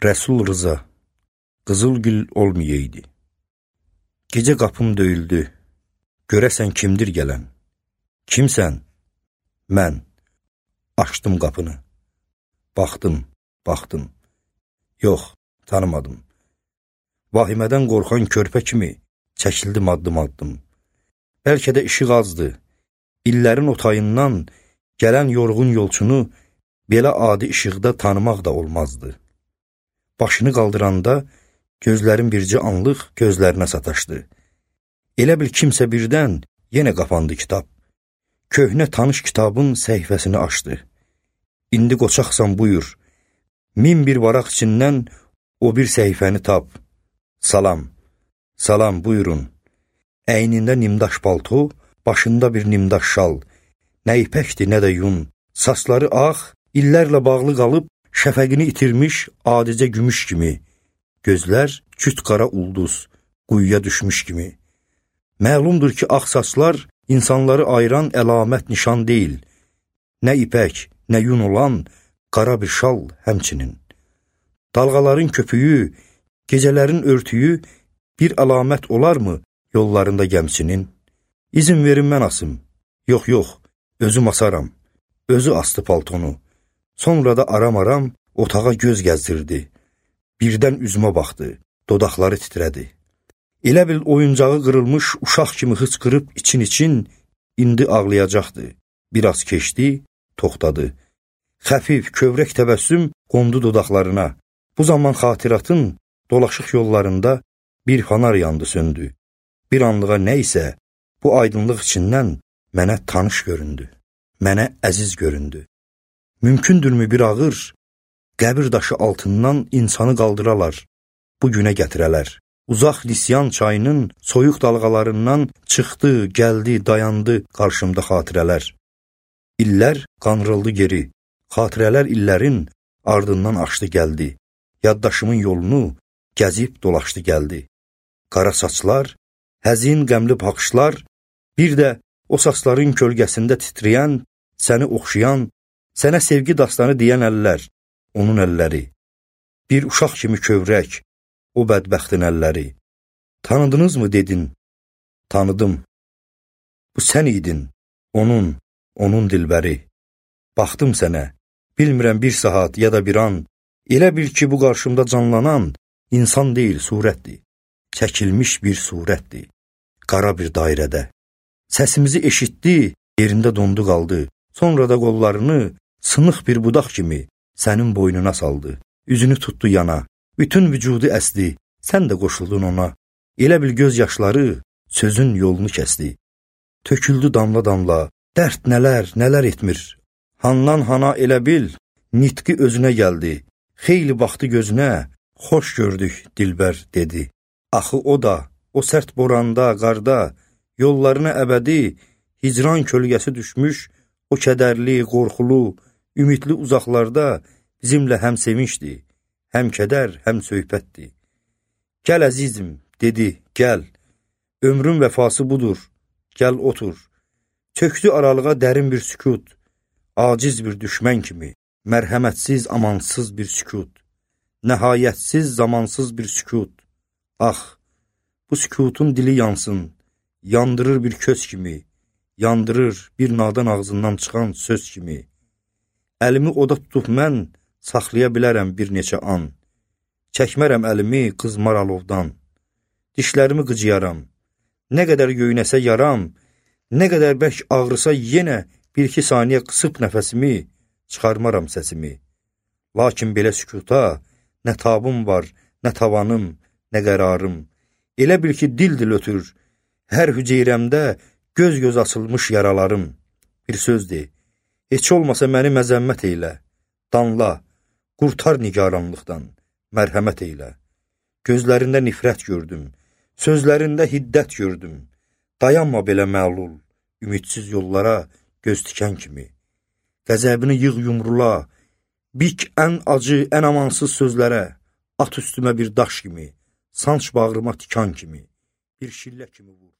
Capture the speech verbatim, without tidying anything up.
Rəsul Rıza, Qızılgül olmayaydı. Gecə qapım döyüldü, görəsən kimdir gələn? Kimsən? Mən. Açdım qapını. Baxdım, baxdım. Yox, tanımadım. Vahimədən qorxan körpə kimi çəkildim addım-addım. Bəlkə də işıq azdı. İllərin otayından gələn yorğun yolçunu belə adi işıqda tanımaq da olmazdı. Başını qaldıranda gözlərim bircə anlıq gözlərinə sataşdı. Elə bil kimsə birdən yenə qapandı kitab. Köhnə tanış kitabın səhifəsini açdı. İndi qoçaqsan buyur. Min bir varaq içindən o bir səhifəni tap. Salam, salam buyurun. Əynində nimdaş palto, başında bir nimdaş şal. Nə ipəkdir, nə də yun. Saçları ağ, illərlə bağlı qalıb, şəfəqini itirmiş adicə gümüş kimi. Gözlər küt qara ulduz, quyuya düşmüş kimi. Məlumdur ki, ağ saçlar insanları ayıran əlamət nişan deyil. Nə ipək, nə yun olan qara bir şal həmçinin. Dalğaların köpüyü, gecələrin örtüyü bir əlamət olarmı yollarında gəmçinin? İzin verin mən asım. Yox, yox, özüm asaram. Özü astı paltonu. Sonra da aram-aram otağa göz gəzdirdi. Birdən üzümə baxdı, dodaqları titrədi. Elə bil oyuncağı qırılmış uşaq kimi hıçqırıb için-için indi ağlayacaqdı. Biraz keçdi, toxtadı. Xəfif, kövrək təbəssüm qondu dodaqlarına. Bu zaman xatiratın dolaşıq yollarında bir fanar yandı, söndü. Bir anlığa nə isə bu aydınlıq içindən mənə tanış göründü. Mənə əziz göründü. Mümkündürmü bir ağır, qəbir daşı altından insanı qaldıralar, bu günə gətirələr. Uzaq Lisyan çayının soyuq dalğalarından çıxdı, gəldi, dayandı qarşımda xatirələr. İllər qanrıldı geri, xatirələr illərin ardından açdı gəldi. Yaddaşımın yolunu gəzib dolaşdı gəldi. Qara saçlar, həzin qəmli baxışlar, bir də o saçların kölgəsində titrəyən, səni oxşayan, sənə sevgi dastanı deyən əllər, onun əlləri. Bir uşaq kimi kövrək, o bədbəxtin əlləri. Tanıdınızmı dedin? Tanıdım. Bu sən idin, onun, onun dilbəri. Baxdım sənə, bilmirəm bir saat ya da bir an, elə bil ki, bu qarşımda canlanan insan deyil, surətdir. Çəkilmiş bir surətdir, qara bir dairədə. Səsimizi eşitdi, yerində dondu qaldı. Sonra da qollarını sınıq bir budaq kimi sənin boynuna saldı. Üzünü tutdu yana, bütün vücudu əsdi, sən də qoşuldun ona. Elə bil göz yaşları sözün yolunu kəsdi. Töküldü damla-damla, dərd nələr, nələr etmir. Handan hana elə bil, nitqi özünə gəldi. Xeyli baxdı gözünə, xoş gördük dilbər dedi. Axı o da, o sərt boranda, qarda, yollarına əbədi, hicran kölgəsi düşmüş, o kədərli, qorxulu, ümidli uzaqlarda bizimlə həm sevinçdi, həm kədər, həm söhbətdi. Gəl əzizim, dedi, gəl, ömrün vəfası budur, gəl otur. Çöktü aralığa dərin bir sükut, aciz bir düşmən kimi, mərhəmətsiz, amansız bir sükut, nəhayətsiz, zamansız bir sükut. Ax, bu sükutun dili yansın, yandırır bir köz kimi, yandırır bir nadan ağzından çıxan söz kimi. Əlimi oda tutub mən saxlaya bilərəm bir neçə an. Çəkmərəm əlimi qızmar alovdan. Dişlərimi qıcıyaram. Nə qədər göynəsə yaram, nə qədər bərk ağrısa yenə bir-iki saniyə qısıb nəfəsimi, çıxarmaram səsimi. Lakin belə sükuta nə tabım var, nə tavanım, nə qərarım. Elə bil ki, dil-dil ötür, hər hüceyrəmdə göz-göz açılmış yaralarım. Bir söz de, heç olmasa məni məzəmmət eylə, danla, qurtar nigaranlıqdan, mərhəmət eylə. Gözlərində nifrət gördüm, sözlərində hiddət gördüm. Dayanma belə məlul, ümidsiz yollara göz tikən kimi. Qəzəbini yığ yumrula, bik ən acı, ən amansız sözlərə, at üstümə bir daş kimi, sanç bağrıma tikan kimi, bir şillə kimi vur.